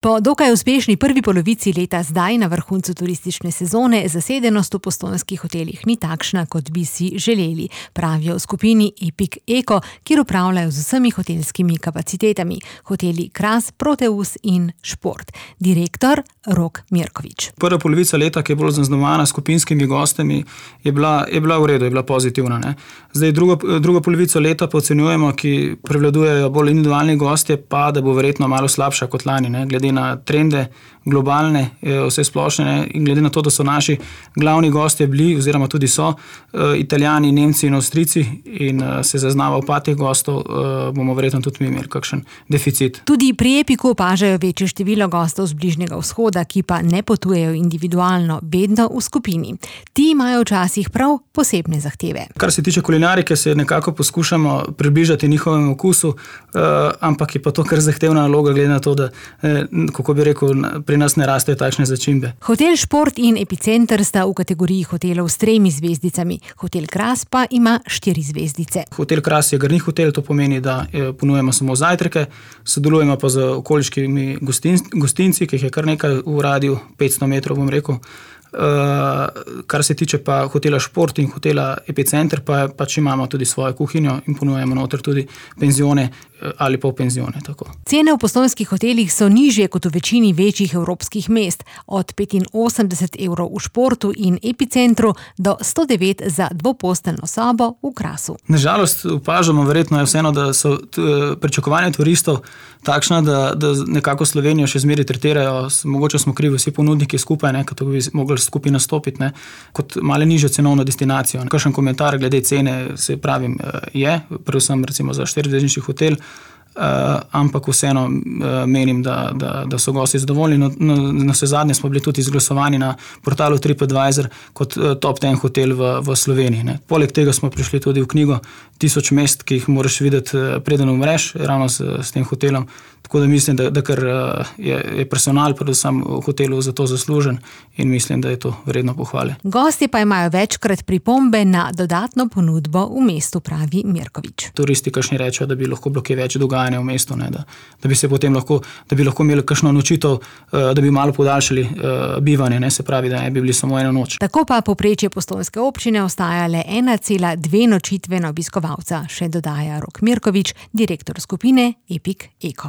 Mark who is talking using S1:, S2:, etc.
S1: Po dokaj uspešni prvi polovici leta zdaj na vrhuncu turistične sezone zasedenost v postojnskih hotelih ni takšna, kot bi si želeli, pravijo v skupini Epic Eko, kjer upravljajo z vsemi hotelskimi kapacitetami, hoteli Kras, Proteus in Šport. Direktor Rok Mirković.
S2: Prva polovica leta, ki je bolj zaznamovana skupinskimi gostami, je bila v redu, je bila pozitivna. Ne? Zdaj druga polovica leta pa ocenjujemo, ki prevladujejo bolj individualni gostje, pa da bo verjetno malo slabša kot lani, ne? Glede na trende globalne, vse splošne in glede na to, da so naši glavni gostje bili oziroma tudi so Italijani, Nemci in Avstrijci in se zaznava upad teh gostov, bomo verjetno tudi mi imeli kakšen deficit.
S1: Tudi pri Epiku opažajo večje število gostov z Bližnjega vzhoda, ki pa ne potujejo individualno, vedno v skupini. Ti imajo včasih prav posebne zahteve.
S2: Kar se tiče kulinarike, se nekako poskušamo približati njihovemu okusu, ampak je pa to kar zahtevna naloga, glede na to, da, kako bi rekel, pri nas ne rastejo takšne začimbe.
S1: Hotel Šport in Epicenter sta v kategoriji hotelov s 3 zvezdicami, Hotel Kras pa ima 4 zvezdice.
S2: Hotel Kras je garni hotel, to pomeni, da ponujemo samo zajtrke, sodelujemo pa z okoliškimi gostinci, ki jih je kar nekaj v radiju 500 metrov, bom rekel. Kar se tiče pa hotela Šport in hotela Epicenter, pa pač imamo tudi svojo kuhinjo in ponujemo noter tudi penzione ali pa v penzione. Tako.
S1: Cene v postojnskih hotelih so nižje kot v večini večjih evropskih mest, od 85 evrov v Športu in Epicentru do 109 za dvoposteljno sobo v Krasu.
S2: Nažalost opažamo, verjetno je vseeno, da so pričakovanja turistov takšna, da nekako Slovenijo še zmeraj tretirajo, mogoče smo krivi vsi ponudniki skupaj, ne, kot bi mogli skupaj nastopiti, ne, kot malo nižjo cenovno destinacijo. Kakšen komentar glede cene, se pravim, je, predvsem recimo za 4-zvezdnični hotel, ampak vseeno menim, da so gosti zadovoljni. Na vse zadnje smo bili tudi izglasovani na portalu TripAdvisor kot top 10 hotel v Sloveniji. Ne. Poleg tega smo prišli tudi v knjigo 1000 mest, ki jih moraš videti, preden umreš, ravno s tem hotelom. Tako da mislim, da kar je personal predvsem v hotelu za to zaslužen in mislim, da je to vredno pohvale.
S1: Gostje pa imajo večkrat pripombe na dodatno ponudbo v mestu, pravi Mirković.
S2: Turisti kakšni rečejo, da bi lahko bilo kaj več dogajanja v mestu, ne, da bi se potem lahko imeli kakšno nočitev, da bi malo podaljšali bivanje, ne, se pravi, da ne bi bili samo eno noč.
S1: Tako pa povprečje postojnske občine ostaja le 1,2 nočitve na obiskovalca, še dodaja Rok Mirković, direktor skupine Epic Eko.